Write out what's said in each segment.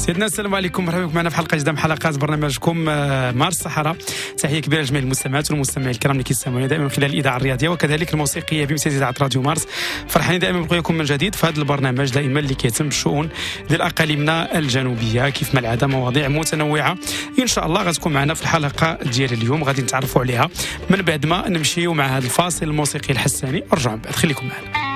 سيدنا السلام عليكم، مرحبا بكم معنا في حلقة جديدة من حلقات برنامجكم مارس الصحراء. تحية كبيرة لجميع المستمعات والمستمعين الكرام اللي كيستمعونا دائما من خلال الاذاعة الرياضية وكذلك الموسيقية بامتياز اذاعة راديو مارس. فرحانين دائما بقيكم من جديد في هذا البرنامج دائما اللي كيتم بالشؤون ديال اقاليمنا الجنوبية. كيف ما العادة مواضيع متنوعة ان شاء الله غتكون معنا في الحلقة ديال اليوم، غادي نتعرفوا عليها من بعد ما نمشيو مع هذا الفاصل الموسيقي الحساني. رجعوا من بعد، خليكم معنا.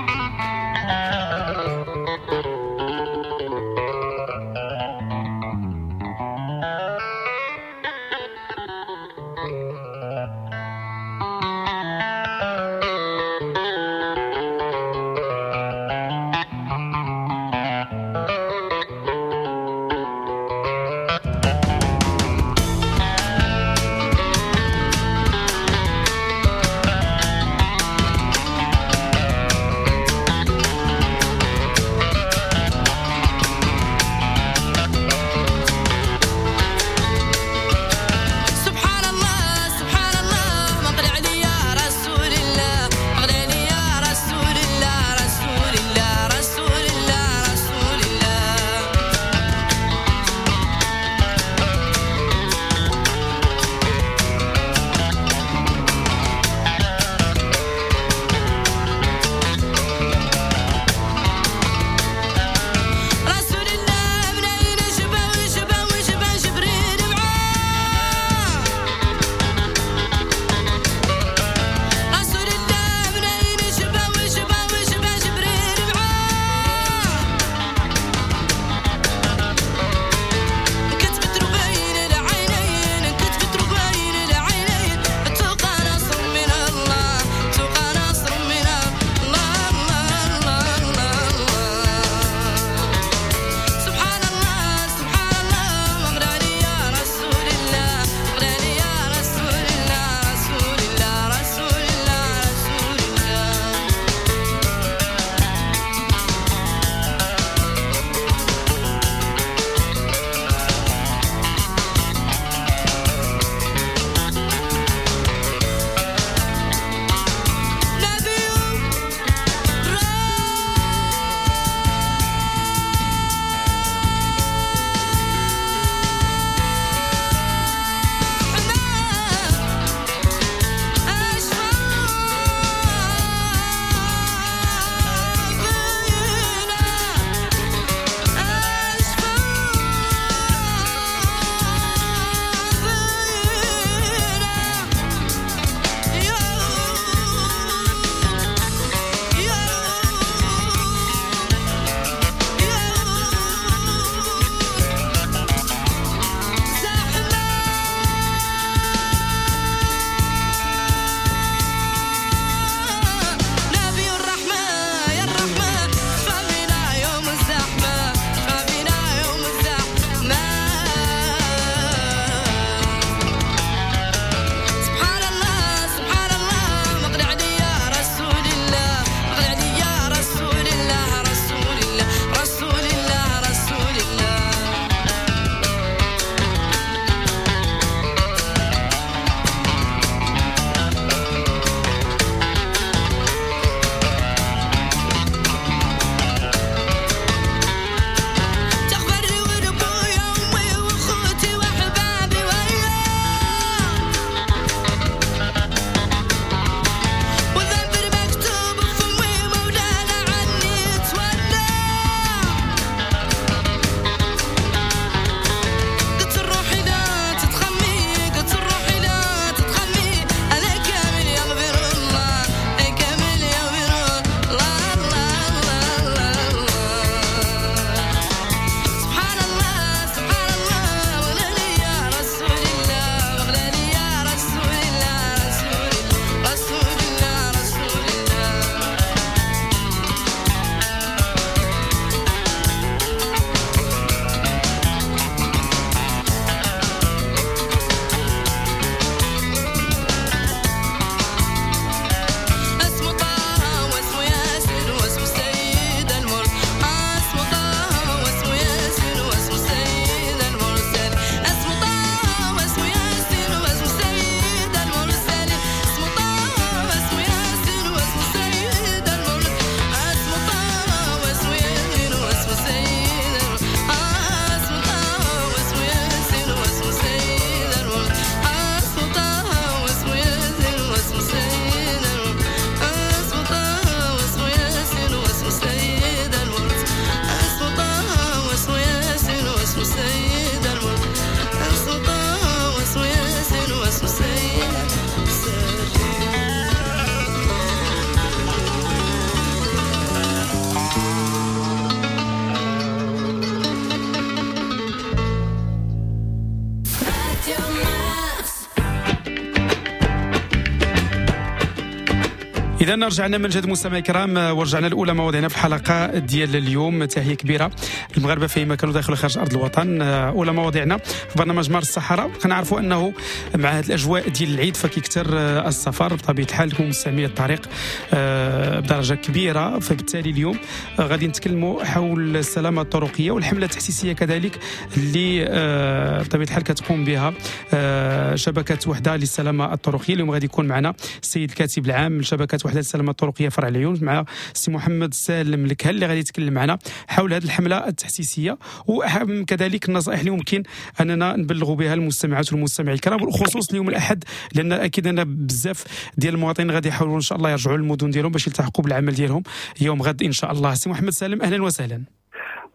إذا رجعنا من جديد مستمعي الكرام، ورجعنا الأولى مواضيعنا في الحلقة ديال اليوم. تحية كبيرة المغاربة فيما كانوا داخل وخارج أرض الوطن. أولى مواضيعنا في برنامج مارس الصحراء، كنعرفوا أنه مع هذه الأجواء ديال العيد فكيكثر السفر بطبيعة الحال، مستعملي الطريق بدرجة كبيرة، فبالتالي اليوم غادي نتكلموا حول السلامة الطرقية والحملة التحسيسية كذلك اللي بطبيعة الحال كتقوم بها شبكة وحدة للسلامة الطرقية. اليوم غادي يكون معنا السيد الكاتب العام لشبكة وحدة السلامة الطرقية فرع العيون مع السي محمد سالم الكهل اللي غادي يتكلم معنا حول هذه الحملة التحسيسية وكذلك النصائح اللي ممكن أننا نبلغوا بها المستمعات والمستمعين الكرام، بالخصوص اليوم الأحد، لأن أكيد أن بزاف ديال المواطنين غادي يحاولوا إن شاء الله يرجعوا للمدن ديالهم باش يلتحقوا بالعمل ديالهم يوم غد إن شاء الله. سي محمد سالم، أهلا وسهلا.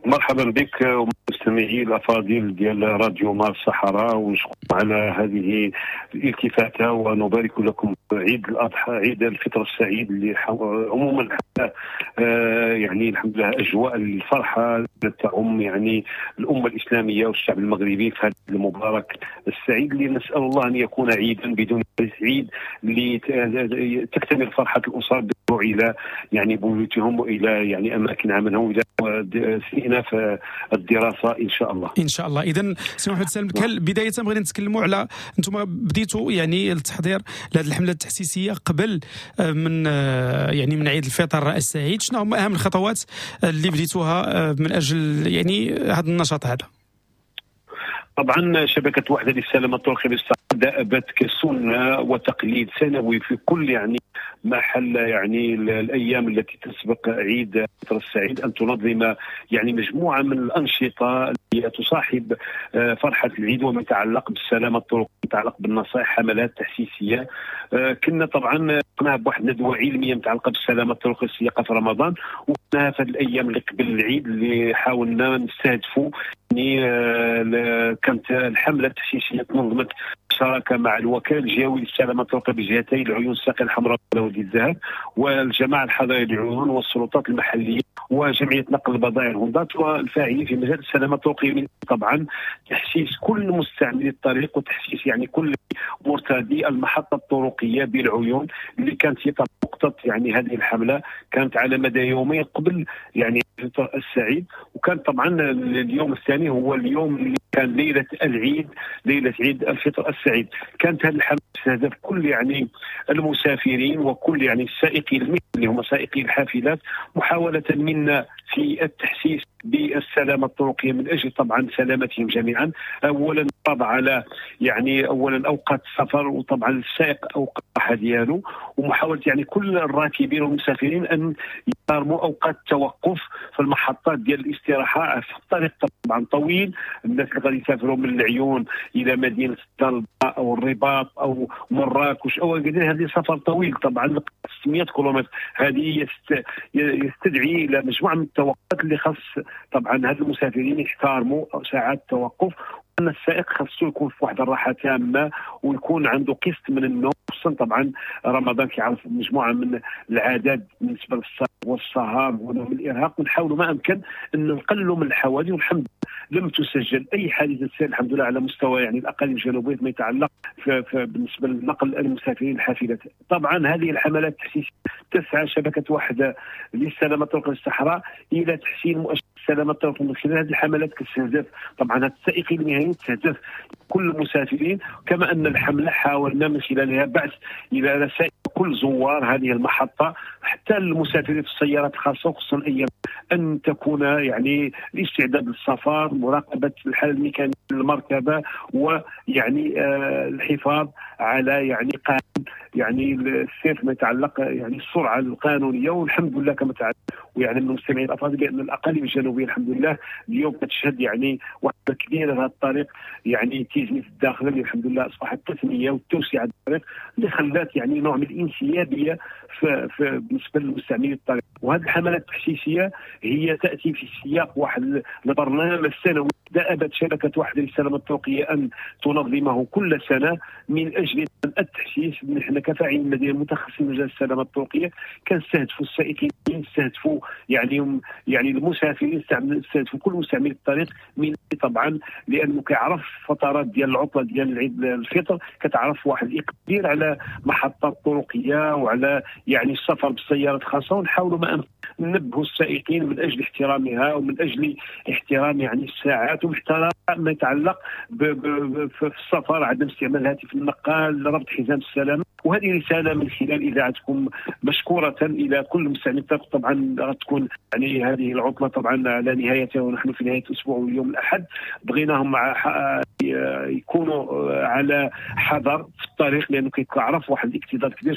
مرحبا بك ومستمعي الافاضل ديال راديو مارس الصحراء، ونشكر على هذه الالتفاته ونبارك لكم عيد الاضحى، عيد الفطر السعيد اللي عموما يعني الحمد لله اجواء الفرحة تعم يعني الامة الاسلامية والشعب المغربي في هذا المبارك السعيد اللي نسال الله ان يكون عيدا بدون عيد اللي تكتمل فرحه الاسر الى يعني بيوتهم والى يعني اماكن عملهم والى استئناف الدراسة ان شاء الله. ان شاء الله. اذا سي محمد سالم الكهل، بداية بغينا نتكلموا على انتم بديتوا يعني التحضير لهذه الحملة التحسيسيه قبل من يعني من عيد الفطر السعيد، شنو هما اهم الخطوات اللي بديتوها من اجل يعني هذا النشاط هذا؟ طبعا شبكة وحده للسلامة الطرقيه بالصحراء دأبت كسنه وتقليد سنوي في كل يعني محل يعني الايام التي تسبق عيد الفطر السعيد ان تنظم يعني مجموعة من الانشطة التي تصاحب فرحه العيد وما يتعلق بالسلامة الطرقيه، يتعلق بالنصائح، حملات تحسيسيه. كنا طبعا قمنا بواحد ندوه علمية متعلقه بالسلامة الطرقيه السياقه في رمضان، وكنا في الايام اللي قبل العيد اللي حاولنا نستهدفوا يعني كانت الحملة التحسيسيه تنظمت شراكة مع الوكالة الجهوي للسلامة الطرقيه بجهتي العيون الساقيه الحمراء وادي الذهب والجماعة الحضرية للعيون والسلطات المحلية وجمعية نقل البضائع الهندات والفاعلين في مجال السلامة الطرقيه، من طبعا تحسيس كل مستعملي الطريق وتحسيس يعني كل مرتادي المحطة الطرقيه بالعيون اللي كانت هي نقطة يعني هذه الحملة كانت على مدى يومين قبل يعني الفطر السعيد. وكان طبعا اليوم الثاني هو اليوم اللي كان ليلة العيد، ليلة عيد الفطر السعيد. كانت هذه الحملة تستهدف كل يعني المسافرين وكل يعني السائقين اللي هم سائقي الحافلات، محاولة منا في التحسيس بالسلامة الطرقية من أجل طبعا سلامتهم جميعا. أولا طبعا على يعني أولا أوقات السفر وطبعا السائق أوقات الراحة ديالو، ومحاولة يعني كل الراكبين والمسافرين أن يحترموا أوقات التوقف في المحطات ديال الاستراحة في الطريق طبعا طويل. الناس اللي غادي يسافروا من العيون إلى مدينة الدار البيضاء أو الرباط أو مراكش أو هذه سفر طويل طبعا 600 كيلومتر، هذه يستدعي إلى مجموعة من التوقفات اللي خاص طبعا هاد المسافرين يحترموا ساعات التوقف، ان السائق خاصو يكون في واحد الراحة تامة ويكون عنده قسط من النوم، خصوصا طبعا رمضان كيعرف مجموعة من العادات بالنسبة للسهر والسهر ونوم الارهاق، ونحاولوا ما امكن ان نقللوا من الحوادث. والحمد لله لم تسجل اي حادثه سير الحمد لله على مستوى يعني الاقاليم الجنوبية فيما يتعلق بالنسبة لنقل المسافرين الحافلات. طبعا هذه الحملات التحسيسيه تسعى شبكة وحده للسلامة الطرقيه بالصحراء الى تحسين مؤشر السلامة الطرقيه من خلال هذه الحملات كتستهدف طبعا السائقين المهنيين، تستهدف كل المسافرين، كما ان الحملة حاولنا من خلالها بعث الى رسائل كل زوار هذه المحطة حتى المسافرين في السيارات الخاصة، خصوصا ايام ان تكون يعني الاستعداد للسفر، مراقبة الحالة الميكانيكية للمركبه، ويعني الحفاظ على يعني قانون يعني السير فيما يتعلق يعني السرعة القانونية. والحمد لله كما تعلم ويعني من المستمعين الافاضل بان الاقاليم الجنوبية الحمد لله اليوم كتشهد يعني وحده كبيرة لهذا الطريق يعني تيزني في الداخل اللي الحمد لله اصبحت التثنية والتوسعه الطريق اللي خلات يعني نوع من الانسيابيه في بالنسبة للمستعملين الطريق. وهذه الحملات التحسيسيه هي تاتي في سياق واحد البرنامج السنوي دأبت شبكة وحده للسلامة الطرقيه ان تنظمه كل سنة من اجل التحسيس حنا كفاعلين المدنيين المتخصصين في مجال السلامة الطرقيه كنستهدفوا السائقين، نستهدفوا يعني المسافرين، نستهدفوا كل مستعملي الطريق، من طبعا لانه كيعرف فترات ديال العطلة ديال عيد الفطر كتعرف واحد الاقبال على محطات طرقيه وعلى يعني السفر بالسيارات الخاصة، ونحاولوا ما ننبهوا السائقين من اجل احترامها ومن اجل احترام يعني الساعات واحترام ما يتعلق في السفر، عدم استعمال الهاتف النقال، ربط حزام السلامة. وهذه رسالة من خلال اذاعتكم مشكورة الى كل مستعملي الطريق. طبعا غتكون يعني هذه العطلة طبعا على نهايتها ونحن في نهاية الاسبوع واليوم الاحد، بغيناهم مع يكونوا على حذر في الطريق لانه كيتعرف واحد الاكتظاظ كبير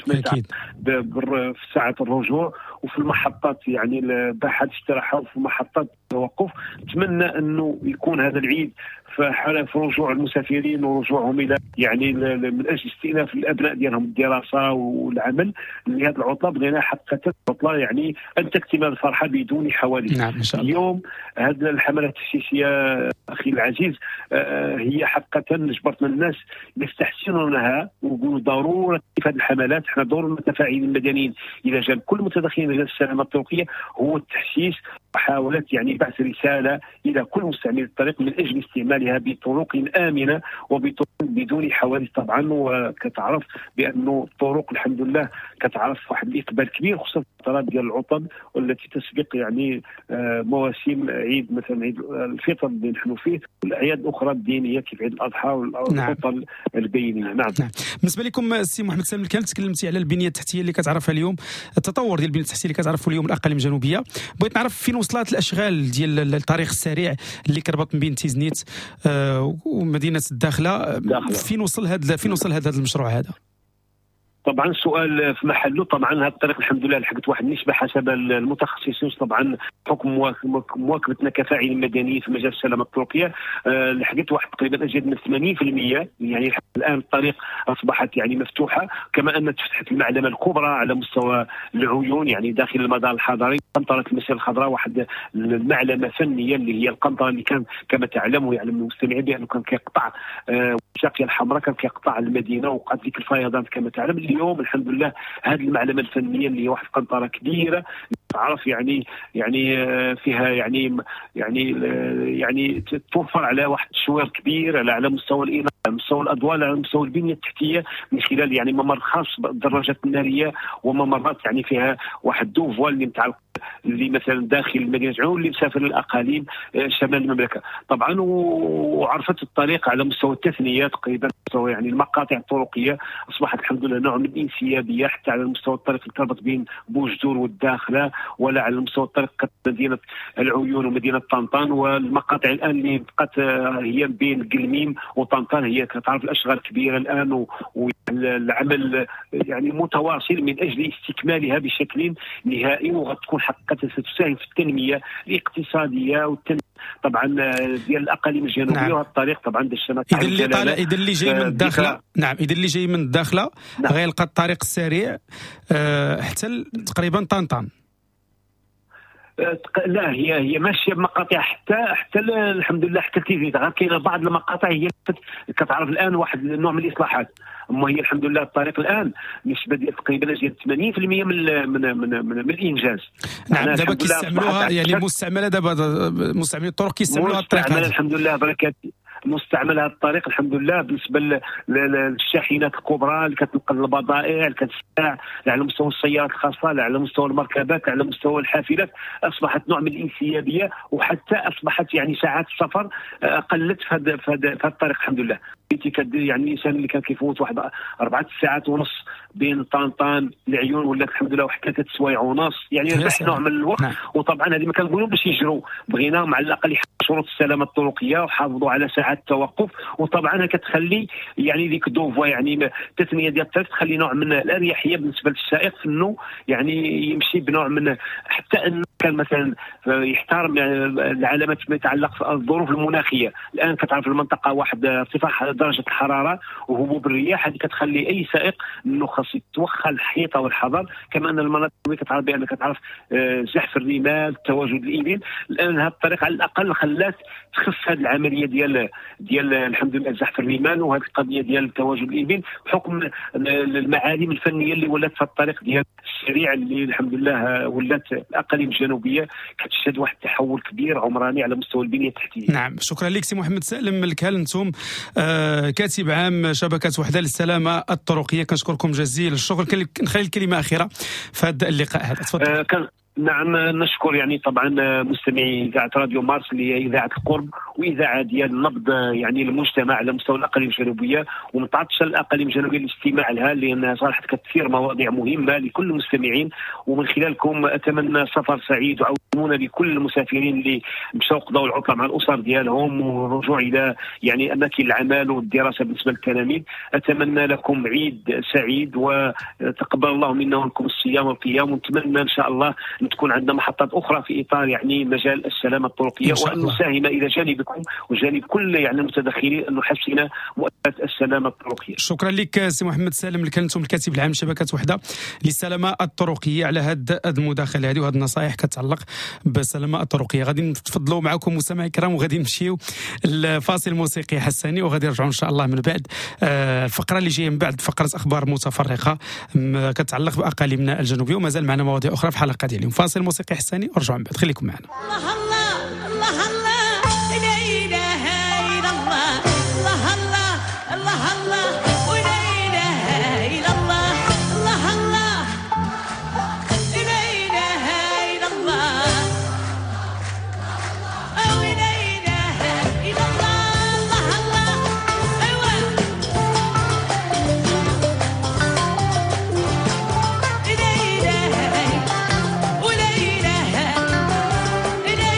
في ساعة الرجوع وفي المحطات يعني باحات الاستراحة وفي محطات التوقف. نتمنى انه يكون هذا العيد في حالة رجوع المسافرين ورجوعهم الى يعني من اجل استئناف الابناء ديالهم الدراسة والعمل. لهذه العطلة بغينا حقيقة العطلة يعني ان تكتمل الفرحة بدون حوادث. نعم ان شاء الله. اليوم هذه الحملة التحسيسيه اخي العزيز هي حقيقة جبرتنا الناس يستحسنونها ويقولوا ضرورة في هذه الحملات. احنا دور المتفاعلين المدنيين الى جانب كل المتدخلين في السلامة الطرقيه هو التحسيس، محاولة يعني بعث رسالة الى كل مستعملي الطريق من اجل استعمالها بطرق امنه وبطرق بدون حوادث طبعا. وكتعرف بانه الطرق الحمد لله كتعرف واحد الاقبال كبير خصوصا في الفترات ديال العطل والتي تسبق يعني مواسم عيد مثلا عيد الفطر اللي نحن فيه والاعياد الاخرى الدينية كيف عيد الاضحى والعطل البينية. نعم. نعم. بالنسبة لكم السي محمد سالم الكامل، تكلمتي على البنية التحتية اللي كتعرفها اليوم، التطور ديال البنية التحتية اللي كتعرفوا اليوم الاقاليم الجنوبية. بغيت نعرف فين وصلت الاشغال ديال الطريق السريع اللي كربط بين تيزنيت ومدينة الداخلة، فين وصل هذا المشروع هذا؟ طبعا السؤال في محله. طبعا هذا الطريق الحمد لله لحقت واحد النسبة حسب المتخصصين طبعا حكم مواكبتنا كفاعلين مدنيين في مجال السلامة الطرقيه لحقت واحد تقريبا ازيد من 80%. يعني الان الطريق اصبحت يعني مفتوحة، كما ان تفتحت المعلمة الكبرى على مستوى العيون يعني داخل المدار الحضري، قنطرة المسيرة الخضراء، واحد المعلمة فنية اللي هي القنطرة اللي كان كما تعلم ويعلم المستمعين بانه كان كيقطع الشاقيه الحمراء، كان كيقطع المدينة وقعت ديك الفيضانات كما تعلم. اليوم الحمد لله هذه المعلمة الفنية اللي هي واحد القنطرة كبيرة تعرف يعني فيها يعني يعني يعني توفر على واحد التشوير كبير على مستوى الاناره، على مستوى الاضواء، على مستوى البنية التحتية من خلال يعني ممر خاص بالدراجات النارية وممرات يعني فيها واحد deux voies اللي متعلق اللي مثلا داخل مدينة عيون اللي مسافر للاقاليم شمال المملكة طبعا. وعرفت الطريق على مستوى التثنية تقريبا، مستوى يعني المقاطع الطرقيه اصبحت الحمد لله نوع من الانسيابيه حتى على مستوى الطريق اللي تربط بين بوجدور والداخله، ولا على مستوى الطريق مدينة العيون ومدينة طنطان. والمقاطع الان اللي بقت هي بين قلميم وطنطان هي كتعرف الاشغال كبيرة الان، والعمل يعني متواصل من اجل استكمالها بشكل نهائي، وغتكون حقيقة ستساهم في التنمية الاقتصادية والتنمية طبعا ديال الاقاليم الجنوبية. نعم. وهذا الطريق طبعا دشنا. اذا اللي جاي من الداخلة، نعم، اذا اللي جاي من الداخلة نعم. غيلقى الطريق السريع حتى تقريبا طنطان. لا هي ماشية بمقاطع حتى الحمد لله حتى تيزنيت، غير كاينه بعض المقاطع هي كتعرف الان واحد النوع من الاصلاحات. اما هي الحمد لله الطريق الان نسبه ديال تقريبا ديال 80% من من من, من الانجاز. نعم. دابا كيستعملوها يعني مستعملة، دابا مستعملين الطرق كيستعملوها الطريق هذا الحمد لله بركات مستعمل هذا الطريق الحمد لله. بالنسبة للشاحنات الكبرى اللي كتنقل البضائع، اللي كتساع على مستوى السيارات الخاصة، لا على مستوى المركبات، على مستوى الحافلات، اصبحت نوع من الانسيابيه، وحتى اصبحت يعني ساعات السفر قلت في هذا الطريق الحمد لله. يعني الانسان اللي كان كيفوت واحد 4 ساعات ونص بين طنطان العيون ولا الحمد لله واحد 3 سوايع ونص، يعني ربح نوع من الوقت. نعم. وطبعا هذه ما كنقولوا باش يجروا، بغيناهم على الاقل يحافظوا شروط السلامة الطرقيه وحافظوا على ساعات التوقف. وطبعا كتخلي يعني ديك deux voies يعني التثنية ديال الطريق تخلي نوع من الاريحيه بالنسبة للسائق في انه يعني يمشي بنوع من حتى انه كان مثلا يحترم يعني العلامات فيما يتعلق في الظروف المناخية. الان كتعرف المنطقة واحد ارتفاع درجه الحرارة وهبوب الرياح، هذه كتخلي اي سائق انه خاص يتوخى الحيطة والحذر. كما ان المناطق كتعرف بان كتعرف زحف الرمال، تواجد الابل. الان هذا الطريق على الاقل خلى خلات تخف هذه العملية ديال الحمد لله زحف الرمال وهذه القضية ديال التواجد الابل، بحكم المعالم الفنية اللي ولات في الطريق ديال السريع اللي الحمد لله ولات الاقاليم الجنوبية كتشهد واحد التحول كبير عمراني على مستوى البنية التحتية. نعم، شكرا لك سي محمد سالم الكالنتوم، كاتب عام شبكة وحده للسلامة الطرقيه. كنشكركم جزيل الشكر. نخلي الكلمة اخيرة في هذا اللقاء هذا، تفضل. نعم، نشكر يعني طبعا مستمعي اذاعة راديو مارس اللي هي اذاعة القرب واذاعة ديال نبض يعني المجتمع على مستوى الاقاليم الجنوبية، ومتعطشه الاقاليم الجنوبية للاستماع لها، لانها صراحة كتثير مواضيع مهمة لكل المستمعين. ومن خلالكم اتمنى سفر سعيد وعونه لكل المسافرين اللي مشاو قضاو العطلة مع الاسر ديالهم والرجوع الى يعني اماكن العمل والدراسة بالنسبة للتلاميذ. اتمنى لكم عيد سعيد وتقبل الله منا ومنكم الصيام والقيام، ونتمنى ان شاء الله تكون عندنا محطات اخرى في اطار يعني مجال السلامة الطرقيه، وان نساهم الى جانبكم وجانب كل يعني المتدخلين ان نحسن مؤسسات السلامة الطرقيه. شكرا لك سي محمد سالم الكلنتوم، الكاتب العام شبكة وحده للسلامة الطرقيه، على هذه المداخلة هذه وهذه النصائح كتعلق بالسلامة الطرقيه. غادي نتفضلوا معكم مستمعي الكرام وغادي نمشيو الفاصل الموسيقي حساني، وغادي نرجعوا ان شاء الله من بعد الفقرة اللي جاية من بعد فقره اخبار متفرقة كتعلق باقاليمنا الجنوبية، ومازال معنا مواضيع اخرى في حلقة ديال اليوم. فاصل موسيقي حساني ورجعوا من بعد، خليكم معنا. الله الله الله الله لا اله الا الله، الله الله الله الله ولا اله الا الله، الله الله لا اله الا الله، ولا اله الا الله، الله الله ايوا لا اله ولا إله لا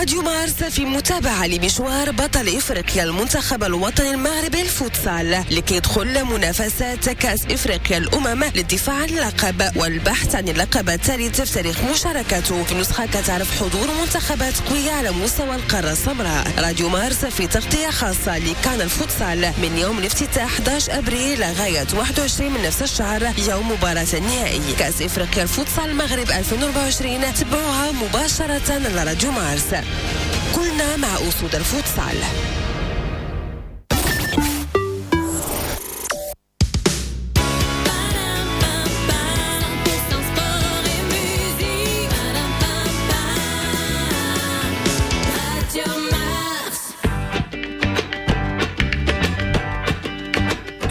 راديو مارس في متابعة لمشوار بطل إفريقيا المنتخب الوطني المغربي الفوتسال لكي يدخل منافسات كأس إفريقيا الأمم للدفاع عن اللقب والبحث عن اللقب الثالث في تاريخ مشاركته في نسخة كتعرف حضور منتخبات قوية على مستوى القارة السمراء. راديو مارس في تغطية خاصة لكان الفوتسال من يوم الافتتاح 11 أبريل لغاية 21 من نفس الشهر يوم مباراة النهائي كأس إفريقيا الفوتسال المغرب 2024. تبعوها مباشرة على راديو مارس. كلنا مع أسود الفوتسال.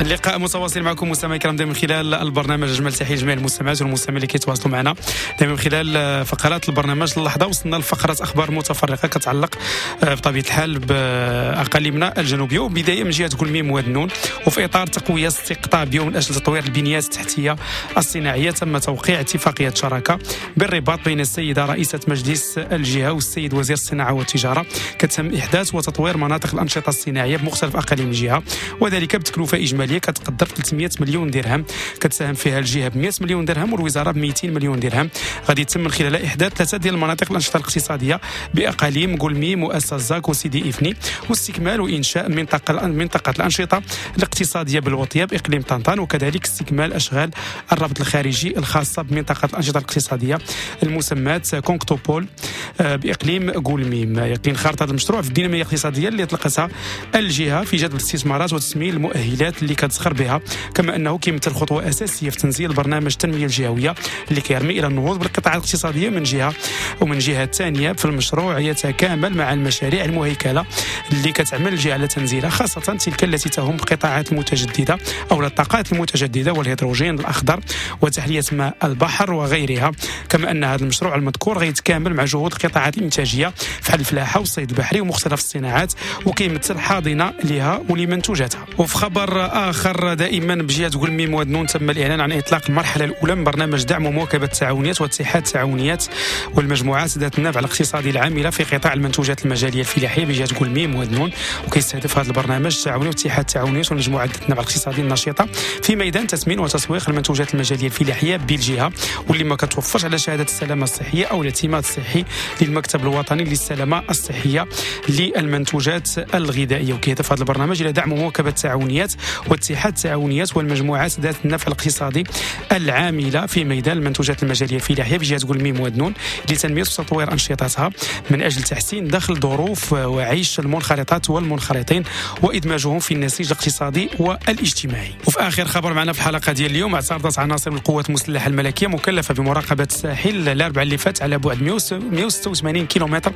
اللقاء متواصل معكم مستمعي الكرام دائما من خلال البرنامج. اجمل تحية لجميع المستمعات والمستمعين اللي كيتواصلوا معنا دائما من خلال فقرات البرنامج. اللحظة وصلنا لفقره اخبار متفرقة كتعلق بطبيعة الحال باقاليمنا الجنوبية، وبداية من جهة كلميم واد نون. وفي اطار تقوية استقطاب من اجل تطوير البنيات التحتية الصناعية تم توقيع اتفاقية شراكة بالرباط بين السيدة رئيسه مجلس الجهة والسيد وزير الصناعة والتجارة، كتم احداث وتطوير مناطق الانشطة الصناعية بمختلف اقاليم الجهة، وذلك بتكلفه اجمالية كتقدر 300 مليون درهم، كتساهم فيها الجهة ب 100 مليون درهم والوزارة ب 200 مليون درهم. غادي يتم من خلالها احداث 3 ديال المناطق الانشطة الاقتصادية باقاليم كلميم واسازاك وسيدي افني، واستكمال وانشاء منطقة الانشطة الاقتصادية بالوطيه باقليم طنطان، وكذلك استكمال اشغال الربط الخارجي الخاصة بمنطقة الانشطة الاقتصادية المسماه كونكتوبول باقليم كلميم. يقين خارطة هذا المشروع في الديناميه الاقتصادية اللي اطلقتها الجهة في جذب الاستثمارات وتسميل المؤهلات اللي كتزخر بها، كما انه كيمثل خطوة اساسية في تنزيل برنامج التنمية الجهوية اللي كيرمي الى النهوض بالقطاعات الاقتصادية من جهة، ومن جهة ثانية في المشروع يتكامل مع المشاريع المهيكله اللي كتعمل الجهة على تنزيلها، خاصة تلك التي تهم القطاعات المتجددة او الطاقات المتجددة والهيدروجين الاخضر وتحليه ماء البحر وغيرها. كما ان هذا المشروع المذكور غيتكامل مع جهود القطاعات الانتاجية فحال الفلاحة والصيد البحري ومختلف الصناعات، وكيمثل حاضنة لها ولمنتوجاتها. وفي خبر آخر دائما بجهة كلميم واد نون تم الإعلان عن إطلاق المرحلة الأولى من برنامج دعم ومواكبة التعاونيات واتحاد التعاونيات والمجموعات ذات النفع الاقتصادي العاملة في قطاع المنتوجات المجالية الفلاحية بجهة كلميم واد نون. وكيستهدف هذا البرنامج التعاونية واتحاد التعاونيات والمجموعات ذات النفع الاقتصادي النشيطة في ميدان تثمين وتسويق المنتوجات المجالية الفلاحية بالجهة، واللي ما كتوفرش على شهادة السلامة الصحية أو الاعتماد الصحي للمكتب الوطني للسلامة الصحية للمنتوجات الغذائية. وكيهدف هذا البرنامج إلى دعم ومواكبة التعاونيات واتحاد التعاونيات والمجموعات ذات النفع الاقتصادي العاملة في ميدان المنتوجات المجالية الفلاحية بجهة كلميم واد نون لتنمية وتطوير أنشطتها من أجل تحسين دخل ظروف وعيش المنخرطات والمنخرطين وإدماجهم في النسيج الاقتصادي والاجتماعي. وفي آخر خبر معنا في الحلقة ديال اليوم، اعترضت عناصر من القوات المسلحة الملكية مكلفة بمراقبة الساحل الأربعاء اللي فات على بعد 160 186 كيلومتر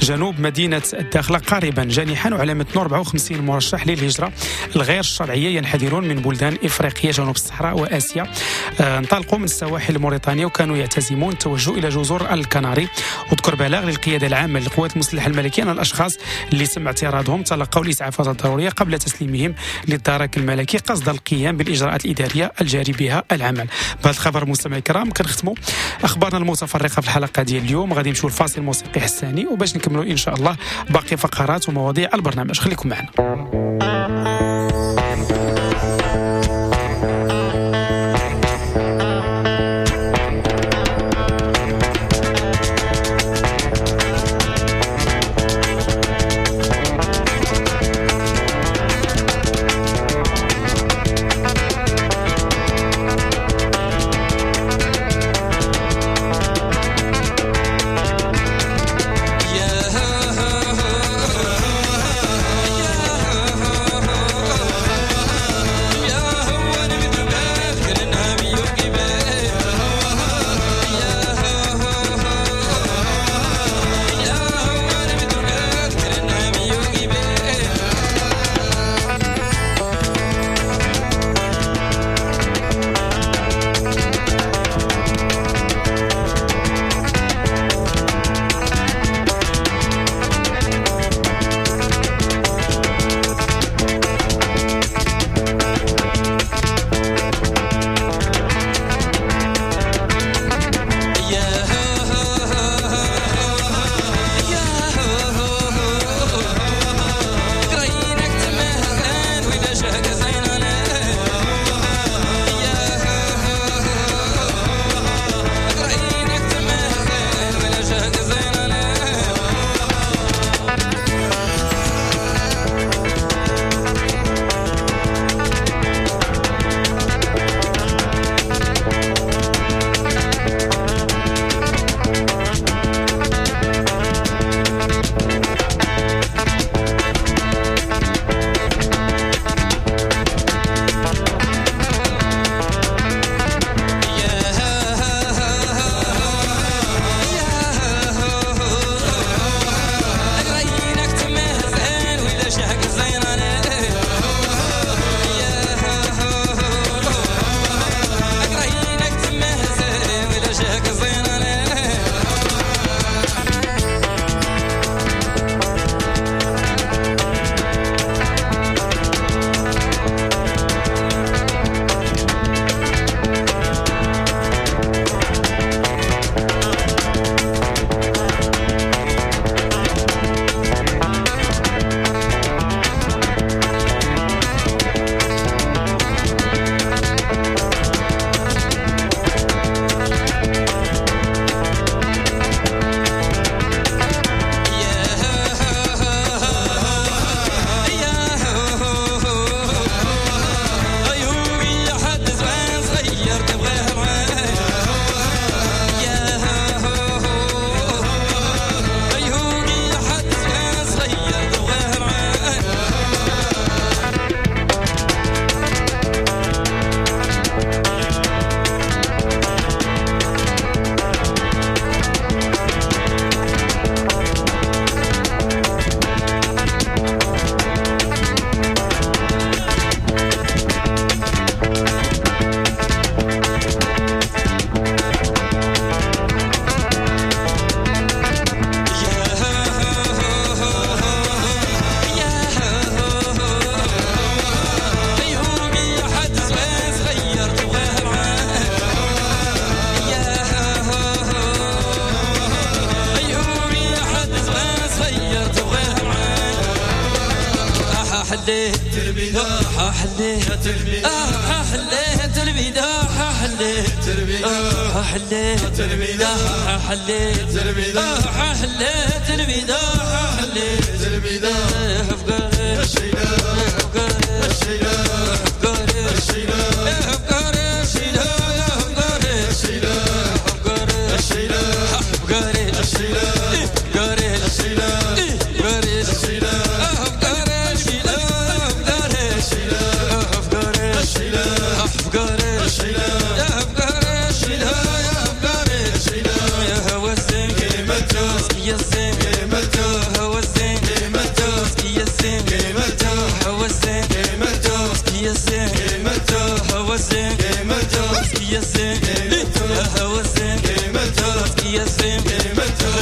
جنوب مدينة الداخلة قاربا جانحا وعلى متنه 54 مرشح للهجرة الغير الشرعية ينحدرون من بلدان إفريقية جنوب الصحراء وآسيا. انطلقوا من السواحل الموريتانية وكانوا يعتزمون التوجه إلى جزر الكناري. وذكر بلاغ للقيادة العامة للقوات المسلحة الملكية أن الأشخاص اللي تم اعتراضهم تلقوا الإسعافات الضرورية قبل تسليمهم للدرك الملكي قصد القيام بالإجراءات الإدارية الجاري بها العمل. بهذا الخبر مستمعي الكرام كنختموا أخبارنا المتفرقة في الحلقة ديال اليوم. غادي نمشيو لفاصل موسيقي حساني وباش نكملوا إن شاء الله باقي فقرات ومواضيع البرنامج. خليكم معنا. يا هوى السنكي. يا الزين قيمته هو الزين قيمته يا الزين قيمته هو الزين قيمته يا الزين قيمته هو الزين قيمته يا الزين قيمته هو الزين قيمته يا الزين قيمته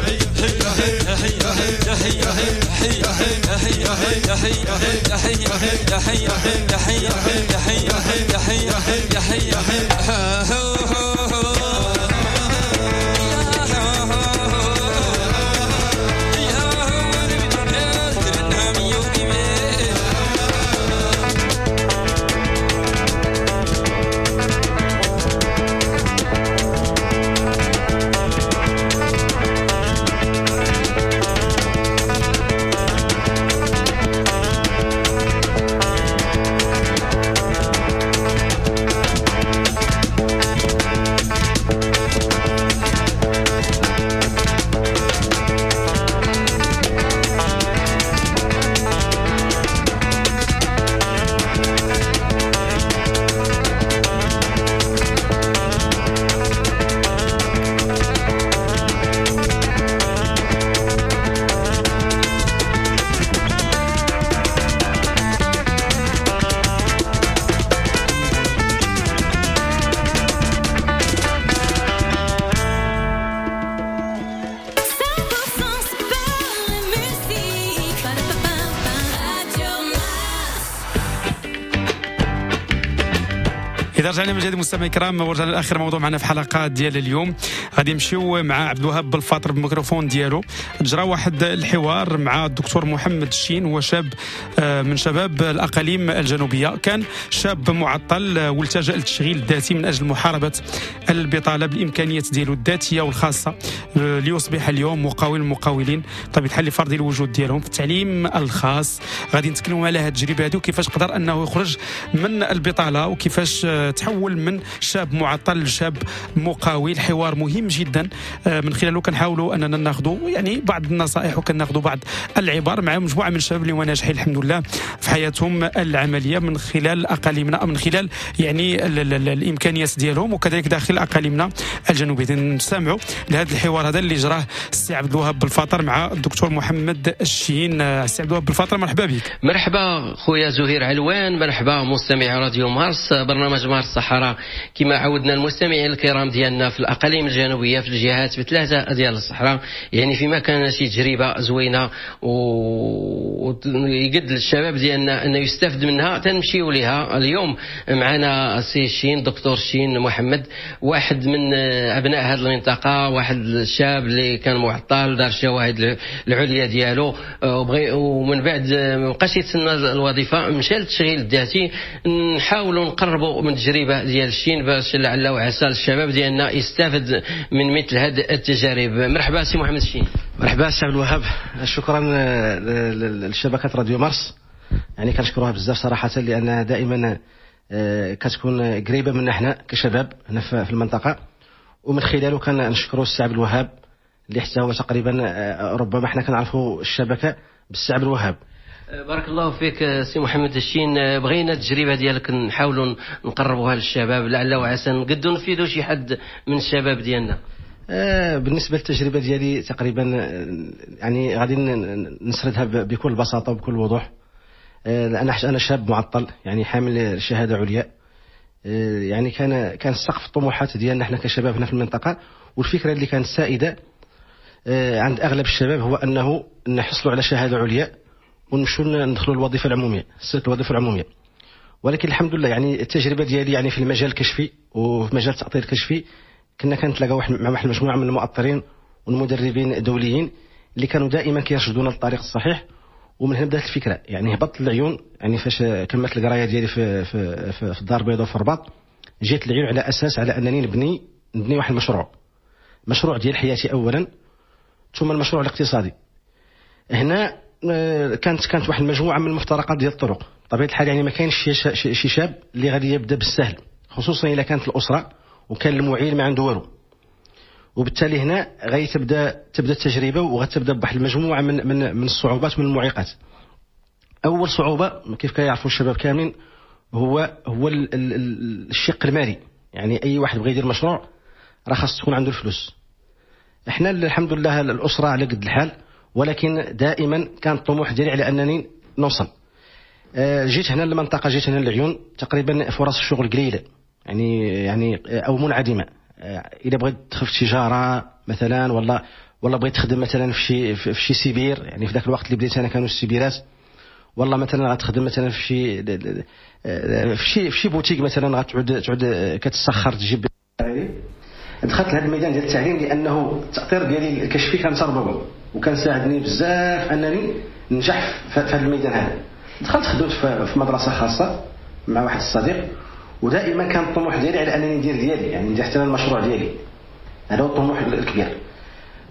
هي هي هي هي هي هي هي هي هي هي هي هي هي هي. إذا رجعنا من جديد مستمعي الكرام ورجعنا لآخر موضوع معنا في حلقة ديال اليوم. غادي نمشيو مع عبد الوهاب بالفاطر بالميكروفون ديالو. جرى واحد الحوار مع الدكتور محمد الشين، هو شاب من شباب الأقاليم الجنوبية، كان شاب معطل والتجأ للتشغيل الذاتي من أجل محاربة البطالة بالإمكانيات ديالو الذاتية والخاصة، ليصبح اليوم مقاول المقاولين بطبيعة الحال لفرض الوجود ديالهم في التعليم الخاص. غادي نتكلموا على هذه التجربة هذه وكيفاش قدر أنه يخرج من البطالة وكيفاش تحول من شاب معطل لشاب مقاول. حوار مهم جدا من خلاله كنحاولوا اننا ناخذوا يعني بعض النصائح وكناخذوا بعض العبر مع مجموعة من الشباب اللي هما ناجحين الحمد لله في حياتهم العملية من خلال اقاليمنا، من خلال يعني الامكانيات ديالهم وكذلك داخل اقاليمنا الجنوبية. نستمعوا لهذا الحوار هذا اللي جراه السي عبد الوهاب بالفاطر مع الدكتور محمد الشين. السي عبد الوهاب بالفاطر مرحبا بك. مرحبا خويا زهير علوان، مرحبا مستمع راديو مارس، برنامج مارس الصحراء. كما عودنا المستمعين الكرام ديالنا في الاقاليم الجنوبية في الجهات بثلاثة ديال الصحراء، يعني فيما كان شي تجربه زوينة ويقد للشباب ديالنا انه يستافد منها تنمشيو لها. اليوم معنا السي الشين، دكتور الشين محمد، واحد من ابناء هذه المنطقة، واحد الشاب اللي كان معطل، دار الشواهد العليا ديالو ومن بعد ما بقاش يتسنى الوظيفة، مشى للتشغيل الذاتي. نحاولوا نقربوا من التجربة ديال الشين باش لعل وعسى الشباب ديالنا يستافد من مثل هذه التجارب. مرحبا سي محمد الشين. مرحبا سي عبد الوهاب، شكرا لشبكه راديو مارس، يعني كنشكروها بزاف صراحة لان دائما كتكون قريبه منا حنا كشباب هنا في المنطقة، ومن خلاله كنشكروا السي عبد الوهاب اللي حتى هو تقريبا ربما حنا كنعرفوا الشبكة بالسي عبد الوهاب. بارك الله فيك سي محمد الشين. بغينا التجربة ديالك نحاولوا نقربوها للشباب لعل وعسى نقدروا نفيدوا شي حد من الشباب ديالنا. بالنسبة للتجربه ديالي تقريبا يعني غادي نسردها بكل بساطة وبكل وضوح. انا شاب معطل، يعني حامل شهادة عليا، يعني كان سقف الطموحات ديالنا حنا كشباب هنا في المنطقة، والفكرة اللي كانت سائدة عند اغلب الشباب هو انه نحصلوا على شهادة عليا ونمشوا ندخلوا الوظيفة العمومية، سلك الوظيفة العمومية. ولكن الحمد لله يعني التجربة ديالي يعني في المجال الكشفي وفي مجال التأطير الكشفي كنا كنتلاقاو مع واحد المجموعة من المؤطرين والمدربين الدوليين اللي كانوا دائما كيرشدونا للطريق الصحيح، ومن هنا بدات الفكرة. يعني هبطت العيون، يعني فاش كملت القراية ديالي في في في الدار البيضاء وفي الرباط، جيت العيون على اساس على انني نبني واحد المشروع، مشروع ديال حياتي اولا ثم المشروع الاقتصادي. هنا كانت واحد المجموعة من المفترقات ديال الطرق. بطبيعة الحال يعني ما كاينش شي شاب اللي غادي يبدا بالسهل، خصوصا الا كانت الاسرة وكان المعيل ما عنده والو، وبالتالي هنا غادي تبدا التجربة وغتبدا بواحد المجموعة من من من الصعوبات من المعيقات. اول صعوبة كيف كيعرفوا الشباب كاملين هو الشق المالي. يعني اي واحد بغى يدير مشروع راه خاص تكون عنده الفلوس. احنا الحمد لله الاسرة على قد الحال، ولكن دائما كان الطموح ديالي على انني نوصل. جيت هنا للمنطقة، جيت هنا للعيون، تقريبا فرص الشغل قليله يعني او منعدمة. اذا بغيت تدخل في التجارة مثلا، ولا بغيت تخدم مثلا في شي سيبير، يعني في ذاك الوقت اللي بديت انا كانوا السيبيرات، والله مثلا غتخدم مثلا في شي بوتيك مثلا، غتعود كتسخر تجيب. دخلت لهذا الميدان ديال التعليم لانه التاطير ديالي الكشفي كان تربوي وكان ساعدني بزاف انني ننجح في هذا الميدان هذا. دخلت خدمت في مدرسه خاصة مع واحد الصديق، ودائما كان الطموح ديالي على انني ندير ديالي، يعني ندير حتى المشروع ديالي، هذا هو الطموح الكبير.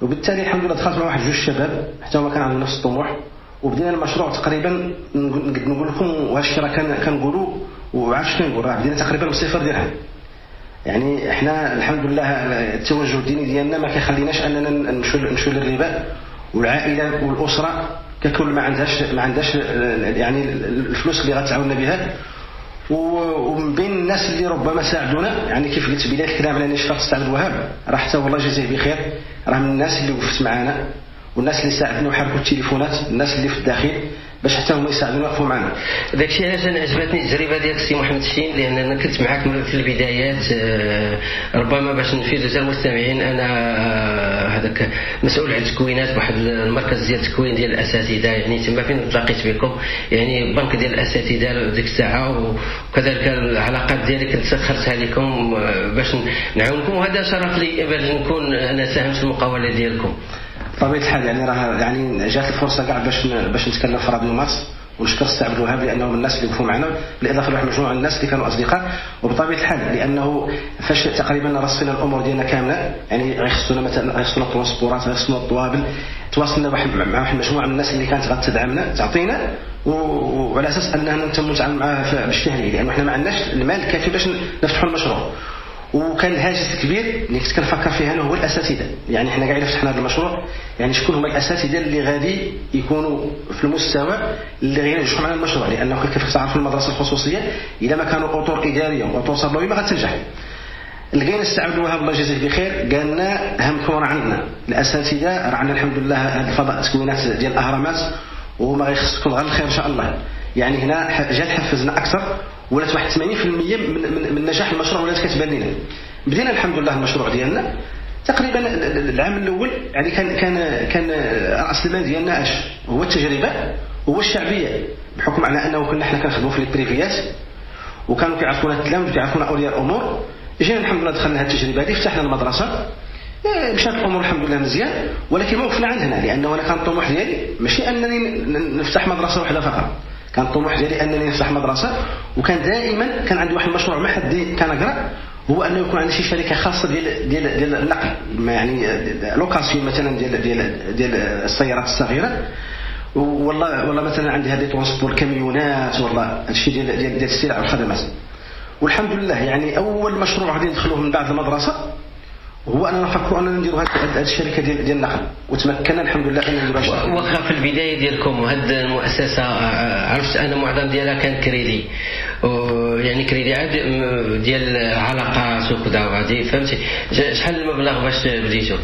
وبالتالي الحمد لله دخلت مع واحد جوج شباب حتى هما كان عندهم نفس الطموح، وبدينا المشروع تقريبا نقول لكم، وهذا الشيء راه كنقولوا وعارف شنو نقول، راه بدينا تقريبا بصفر درهم. يعني احنا الحمد لله التوجه الديني ديالنا ما كيخليناش اننا نمشوا للربا، والعائلة والاسرة ككل ما عندهاش يعني الفلوس اللي غتعاوننا بها. ومن بين الناس اللي ربما ساعدونا، يعني كيف قلت بداية الكلام على نشاط السي عبد الوهاب، راه حتى والله جزاه بخير، راه من الناس اللي وقفت معنا والناس اللي ساعدنا وحركوا التليفونات، الناس اللي في الداخل باش حتى هما يساعدونا ويوقفوا معنا. داكشي علاش انا عجبتني التجربة ديال السي محمد الشين، لان انا كنت معاك في البدايات. ربما باش نفيد حتى المستمعين، انا هذاك مسؤول على التكوينات بواحد المركز ديال التكوين ديال الاساتذة، يعني تما فين تلاقيت بكم، يعني بنك ديال الاساتذة ديك الساعة، وكذلك العلاقات ديالي كنت سخرتها لكم باش نعاونكم، وهذا شرف لي باش نكون انا ساهمت في المقاوله ديالكم. بطبيعة الحال يعني راه يعني جات الفرصة كاع باش نتكلم في راديو مارس، ونشكر السي عبد الوهاب لانه من الناس اللي وقفوا معنا، بالاضافة لواحد مجموعة من الناس اللي كانوا اصدقاء. وبطبيعة الحال لانه فاش تقريبا رصينا الامور ديالنا كاملة، يعني غيخصونا مثلا غيخصونا transport ات، غيخصونا الطوابل، تواصلنا مع واحد المجموعة من الناس اللي كانت غتدعمنا تعطينا، وعلى اساس اننا نتم نتعامل معاها بالشهري، لانه حنا ما عندناش المال الكافي باش نفتحوا المشروع. وكان الهاجس الكبير اللي كنت كنفكر فيه انا هو الاساتذة، يعني حنا كاع الا فتحنا هذا المشروع، يعني شكون هما الاساتذة اللي غادي يكونوا في المستوى اللي غينجحوا معنا المشروع، لانه كيف تعرفوا المدرسة الخصوصية الا ما كانوا اطر ادارية واطر تربوية ما غتنجح. لقينا السي عبد الوهاب الله يجازيه بخير، قال لنا همكم راه عندنا الاساتذة، راه عندنا الحمد لله هذا الفضاء التكوينات ديال الاهرامات، وما غيخصكم غير الخير ان شاء الله. يعني هنا جات حفزنا اكثر، ولات واحد 80% من نجاح المشروع ولات كتبان لنا. بدينا الحمد لله المشروع ديالنا تقريبا العام الاول، يعني كان كان كان راس المال ديالنا اش هو التجربة، هو الشعبية، بحكم على انه كنا حنا كنخدموا في ال privé ات وكانوا كيعرفونا التلاميذ وكيعرفونا اولياء الامور. جينا الحمد لله دخلنا هذه التجربة هذه، فتحنا المدرسة، مشات الامور الحمد لله مزيان، ولكن ما وقفنا عند هنا، لانه انا كان الطموح ديالي ماشي انني نفتح مدرسه واحدة فقط، كان الطموح ديالي انني نفتح مدرسه. وكان دائما كان عندي واحد المشروع ما حد كنقرا، هو انه يكون عندي شي شركة خاصة ديال ديال ديال النقل، يعني location مثلا ديال ديال ديال السيارات الصغيرة، والله مثلا عندي هذه transport كاميونات، والله هادشي ديال ديال ديال السلع والخدمات. والحمد لله يعني اول مشروع غادي ندخلوه من بعد المدرسة هو اننا نفكروا اننا نديروا هذه الشركة ديال النقل، وتمكنا الحمد لله ان نديروها. واخا في البداية ديالكم هذه المؤسسة عرفت انا معظم ديالها كان كريدي، يعني كريدي عاد ديال العلاقات وكذا وهذه، فهمتي؟ شحال المبلغ باش بديتو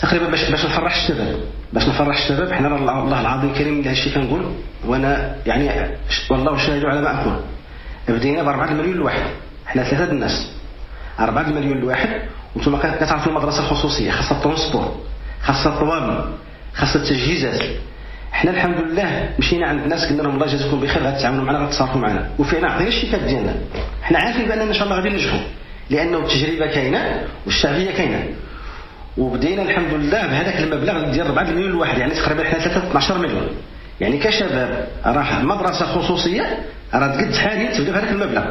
تقريبا؟ باش نفرح الشباب، باش نفرح الشباب حنا الله العظيم الكريم هذا الشيء كنقول، وانا يعني والله شاهد على ما اقول، بدينا ب 4 المليون الواحد، حنا ثلاثة الناس، 4 المليون الواحد. وانتم كتعرفوا المدرسة الخصوصية خاصها ال transport، خاصها الطوابل، خاصها التجهيزات. حنا الحمد لله مشينا عند الناس قلنا لهم الله يجازيكم بخير، غتعاونوا معنا، غتصرفوا معنا، وفعلا عطينا الشيكات ديالنا. حنا عارفين باننا ان شاء الله غادي ننجحوا، لانه التجربة كاينه والشعبيه كاينه. وبدينا الحمد لله بهذاك المبلغ ديال 4 مليون الواحد، يعني تقريبا حنا 12 مليون. يعني كشباب راه مدرسه خصوصية راه تقد حاليا تبدا بهذاك المبلغ،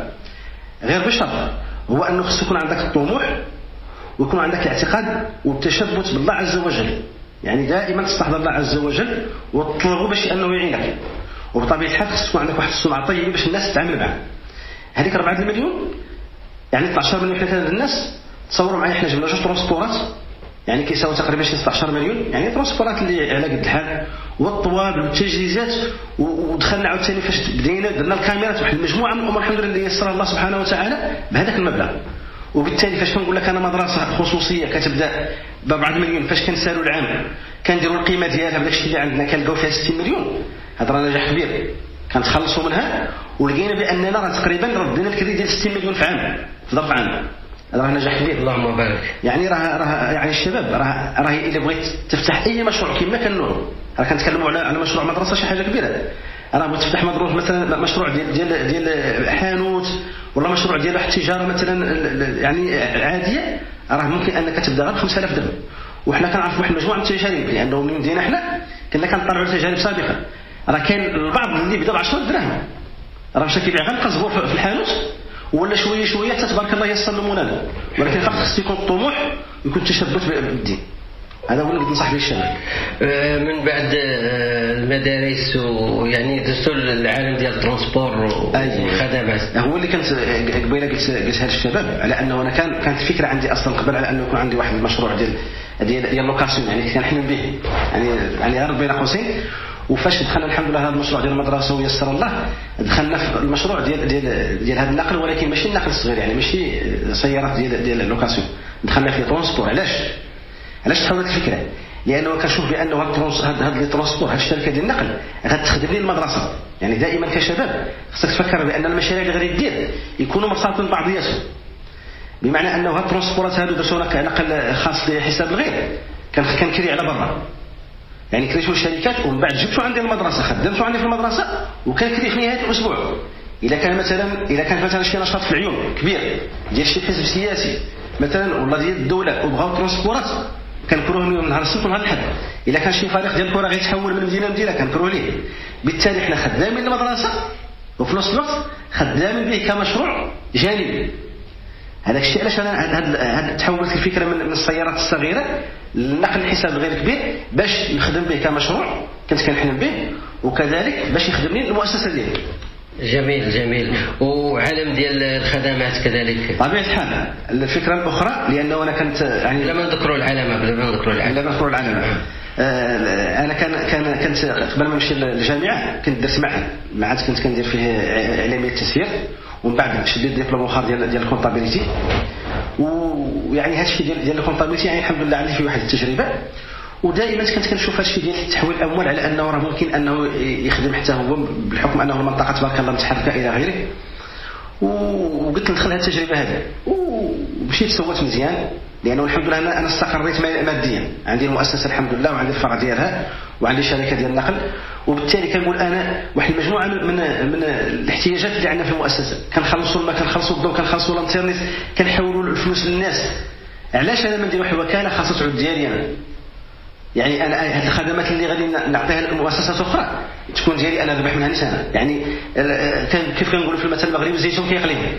غير بشرط هو انه خص يكون عندك الطموح ويكون عندك الاعتقاد والتشبث بالله عز وجل، يعني دائما تستحضر الله عز وجل وتطلبه باش انه يعينك. وبطبيعة الحال خص تكون عندك واحد السمعة طيبة باش الناس تتعامل معك. هذيك 4 المليون يعني 12 مليون حنا الناس، تصوروا معايا حنا جبنا جوج transport ات يعني كيساوي تقريبا شي 16 مليون، يعني transport ات اللي على قد الحال، والطوابل والتجهيزات، ودخلنا عاوتاني فاش بدينا درنا الكاميرات، واحد المجموعة من الامور الحمد لله اللي يسرها الله سبحانه وتعالى بهذاك المبلغ. وبالتالي فاش كنقول لك انا مدرسه خصوصية كتبدا ب 4 مليون، فاش كنسالوا العام كنديروا القيمة ديالها بداك الشيء اللي عندنا كنلقاو فيها 60 مليون، هذا راه نجاح كبير. كنتخلصوا منها ولقينا باننا راه تقريبا ردينا الكريدي ديال 60 مليون في عام، في ظرف عام. هذا راه نجاح كبير. اللهم بارك. يعني راه يعني الشباب راه الا بغيت تفتح اي مشروع كما كان نوعه، راه كنتكلموا على مشروع مدرسه شي حاجة كبيرة. راه بغيت تفتح مدروس مثلا، مشروع ديال ديال حانوت، ولا مشروع ديال واحد التجارة مثلا يعني عادية، راه ممكن انك تبدا غير ب 5000 درهم. وحنا كنعرفوا واحد المجموعة من التجارب، لانه من بدينا حنا كنا كنطلعوا تجارب سابقه. راه كاين البعض اللي بدا ب 10 دراهم راه مشى كيبيع غير القزبور في الحانوت، ولا شوية شوية حتى تبارك الله يسر له. ولكن فقط خص يكون الطموح ويكون التشبث بالدين. هذا هو اللي ننصح به الشباب. من بعد المدارس ويعني دزتوا العالم ديال ال transport والخدمات. هو اللي كنت قبيلة قلتها للشباب، على انه انا كانت الفكرة عندي اصلا قبل على انه يكون عندي واحد المشروع ديال ديال location، يعني كنحلم به، يعني غير بين قوسين. وفاش دخلنا الحمد لله هذا المشروع ديال المدرسة ويسر الله، دخلنا في المشروع ديال ديال ديال هذا النقل، ولكن ماشي النقل الصغير، يعني ماشي سيارات ديال ديال location، دخلنا في transport. علاش تحولت الفكرة؟ لانه كنشوف بانه هاد les transports، هاد الشركة ديال النقل غتخدم لي المدرسة. يعني دائما كشباب خصك تفكر بان المشاريع اللي غادي دير يكونوا مرتبطين ببعضياتهم، بمعنى انه هاد ال transport ات هادو درتو نقل خاص لحساب الغير، كنكري على برا، يعني كريتو الشركات ومن بعد جبتو عندي المدرسة، خدمتو عندي في المدرسة، وكنكري في نهاية الاسبوع. الا كان مثلا شي نشاط في العيون كبير ديال شي حزب سياسي مثلا ولا ديال الدولة وبغاو transport ات، كنكروه من نهار السبت ونهار الاحد. الا كان شي فريق ديال الكره غيتحول من مدينة لمدينة كنكروه ليه. بالتالي حنا خدامين المدرسة وفي نفس الوقت خدامين به كمشروع جانبي. هذاك الشيء علاش انا تحولت الفكرة من السيارات الصغيرة للنقل الحساب الغير كبير، باش نخدم به كمشروع كنت كنحلم به، وكذلك باش يخدم لي المؤسسة ديالي. جميل جميل. وعالم ديال الخدمات كذلك طبيعة الحال. الفكرة الاخرى، لانه انا كنت يعني لما نذكروا العلامة بلا ما نذكروا العلامة، لما نذكروا العلامة، انا كان كنت قبل ما نمشي للجامعة كنت درت معهد كنت كندير فيه اعلامية التسيير، ومن بعد شديت ديبلوم اخر ديال ال comptabilité. ويعني هادشي ديال ال comptabilité يعني الحمد لله عندي فيه واحد التجربة. ودائما كنت كنشوف هادشي ديال تحويل الاموال على انه راه ممكن انه يخدم حتى هو، بالحكم انه المنطقة تبارك الله متحركة الى غيره. وقلت ندخل هاد التجربة هذه، ومشيت سويت مزيان، لانه الحمد لله انا استقريت ماديا، عندي المؤسسة الحمد لله، وعندي الفرع ديالها، وعندي شركة ديال النقل. وبالتالي كنقول انا واحد المجموعة من الاحتياجات اللي عندنا في المؤسسة، كنخلصوا الماء، كنخلصوا الضوء، كنخلصوا الانترنت، كنحولوا الفلوس للناس. علاش انا ما ندير واحد الوكالة خاصة تعود ديالي انا؟ يعني انا هذه الخدمات اللي غادي نعطيها لمؤسسات اخرى تكون ديالي انا، نربح منها انا. يعني كيف كنقولوا في المثل المغربي، الزيتون كيقليه.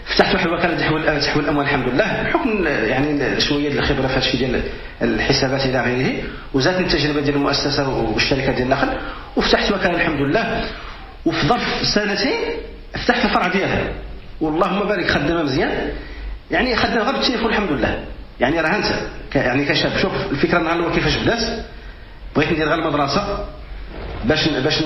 فتحت واحد الوكالة تحويل الاموال الحمد لله، بحكم يعني شوية ديال الخبرة في هادشي ديال الحسابات الى غيره، وزادتني التجربة ديال المؤسسة والشركة ديال النقل، وفتحت وكالة الحمد لله. وفي ظرف سنتين فتحت الفرع ديالها، واللهم بارك، خدامه مزيان، يعني خدامه غير بالتليفون الحمد لله. يعني راه انت يعني كشاب، شوف الفكرة النهار الاول كيفاش بدات، بغيت ندير غير المدرسة باش باش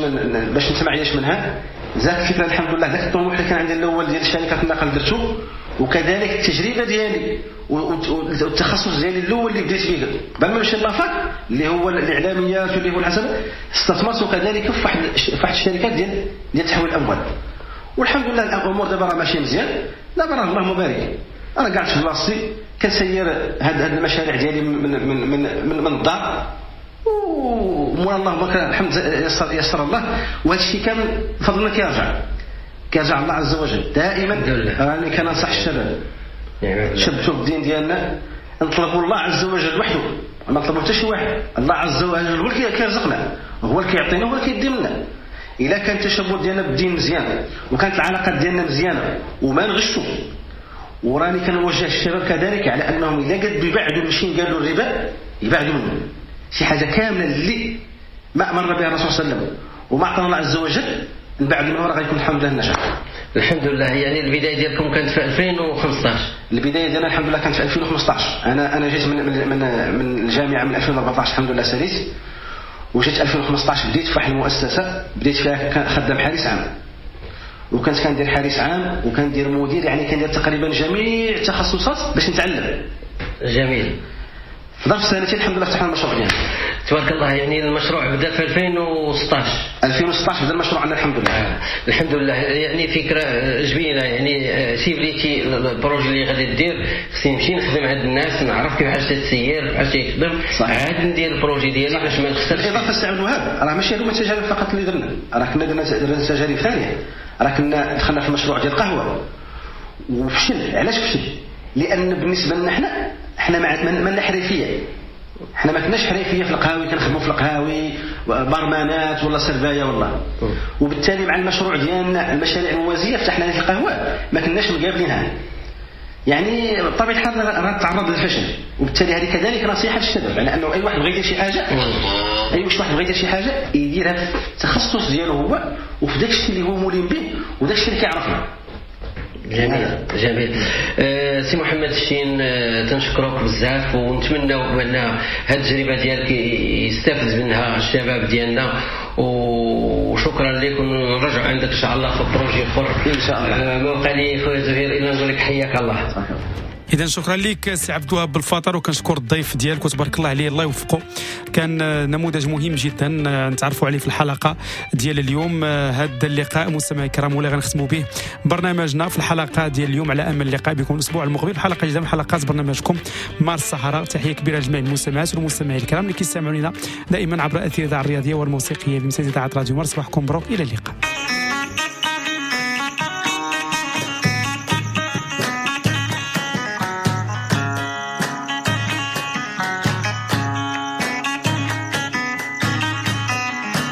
باش نتمعيش منها. زاد الفكرة الحمد لله، ذاك الطموح اللي كان عندي الاول ديال شركة النقل درتو، وكذلك التجربة ديالي والتخصص ديالي الاول اللي بديت فيه قبل ما نمشي la fac اللي هو الاعلاميات واللي هو الحساب، استثمرت كذلك في واحد الشركات ديال تحويل الاموال. والحمد لله الامور دابا راه ماشية مزيان، دابا راه اللهم بارك، انا قاعد في بلاصتي كنسير هاد المشاريع ديالي من من من من, من الدار، ومولا اللهم الحمد يسر الله. وهذا الشيء كامل فضلنا كيرجع الله عز وجل. دائما راني كننصح الشباب، شبتوا بالدين ديالنا، نطلبوا الله عز وجل وحده، ما نطلبوا حتى شي واحد. الله عز وجل هو اللي كيرزقنا، هو اللي كيعطينا، هو اللي كيدي منا. الا كان التشبث ديالنا بالدين مزيان، وكانت العلاقات ديالنا مزيانه، وما نغشوا. وراني كنوجه الشباب كذلك على انهم الا قد يبعدوا ماشي قالوا الربا، يبعدوا منه شي حاجة كاملة اللي ما امرنا بها الرسول صلى الله عليه وسلم وما اعطانا الله عز وجل، نبعد منه راه غيكون الحمد لله النجاح. الحمد لله. يعني البداية ديالكم كانت في 2015؟ البداية ديالنا الحمد لله كانت في 2015. انا جيت من من من الجامعة من 2014 الحمد لله ساليت، وجيت 2015 بديت في واحد المؤسسة، بديت فيها خدام حارس عام. وكنت كندير حارس عام وكندير مدير، يعني كندير تقريبا جميع التخصصات باش نتعلم. جميل. في ظرف سنتين الحمد لله فتحنا المشروع ديالنا. تبارك الله. يعني المشروع بدا في 2016. 2016 بدا المشروع عندنا الحمد لله. الحمد لله. يعني فكرة جميلة، يعني ciblيتي ال projet اللي غادي دير، خصني نمشي نخدم عند الناس، نعرف كيفاش تسير، كيفاش يخدم، عاد ندير ال projet ديالي باش ما نخسرش. بالاضافة سي عبد الوهاب، راه ماشي هما التجارب فقط اللي درنا، راه كنا درنا تجارب ثانية، راه كنا دخلنا في المشروع ديال القهوة وفشل. علاش فشل؟ لان بالنسبة لنا حنا ما حرفية، حنا ما كناش حرفية في القهاوي، كنخدموا في القهاوي برمانات ولا سربايه ولا، وبالتالي مع المشروع ديالنا المشاريع الموازيه فتحنا في القهوة ما كناش مقابلينها، يعني بطبيعة الحال راه تعرض للفشل. وبالتالي هذه كذلك نصيحة للشباب، على انه اي واحد بغى يدير شي حاجة، اي واحد بغى يدير شي حاجة يديرها في التخصص ديالو هو، وفي داك الشيء اللي هو ملم به وداك الشيء اللي كيعرفه. جميل جميل. سي محمد الشين، تنشكرك بزاف، ونتمناو بان هذه التجربة ديالك يستافد منها الشباب ديالنا، وشكرا لك، ونرجع عندك ان شاء الله في projet اخر ان شاء الله. ما بقى لي خويا زهير الا نقول لك حياك الله. اذا شكرا لك سي عبد الوهاب بالفطر، وكنشكر الضيف ديالك وتبارك الله عليه، الله يوفقه، كان نموذج مهم جدا نتعرفوا عليه في الحلقة ديال اليوم. هذا اللقاء مستمعي الكرام ولا غنختموا به برنامجنا في الحلقة ديال اليوم، على امل اللقاء بكم الاسبوع المقبل في حلقة جديدة من حلقات برنامجكم مارس الصحراء. تحية كبيرة لجميع المستمعات والمستمعين الكرام اللي كيستمعوا لنا دائما عبر اثير الاذاعة الرياضية والموسيقيه بمساعدة اذاعة راديو مارس. صباحكم مبروك، الى اللقاء.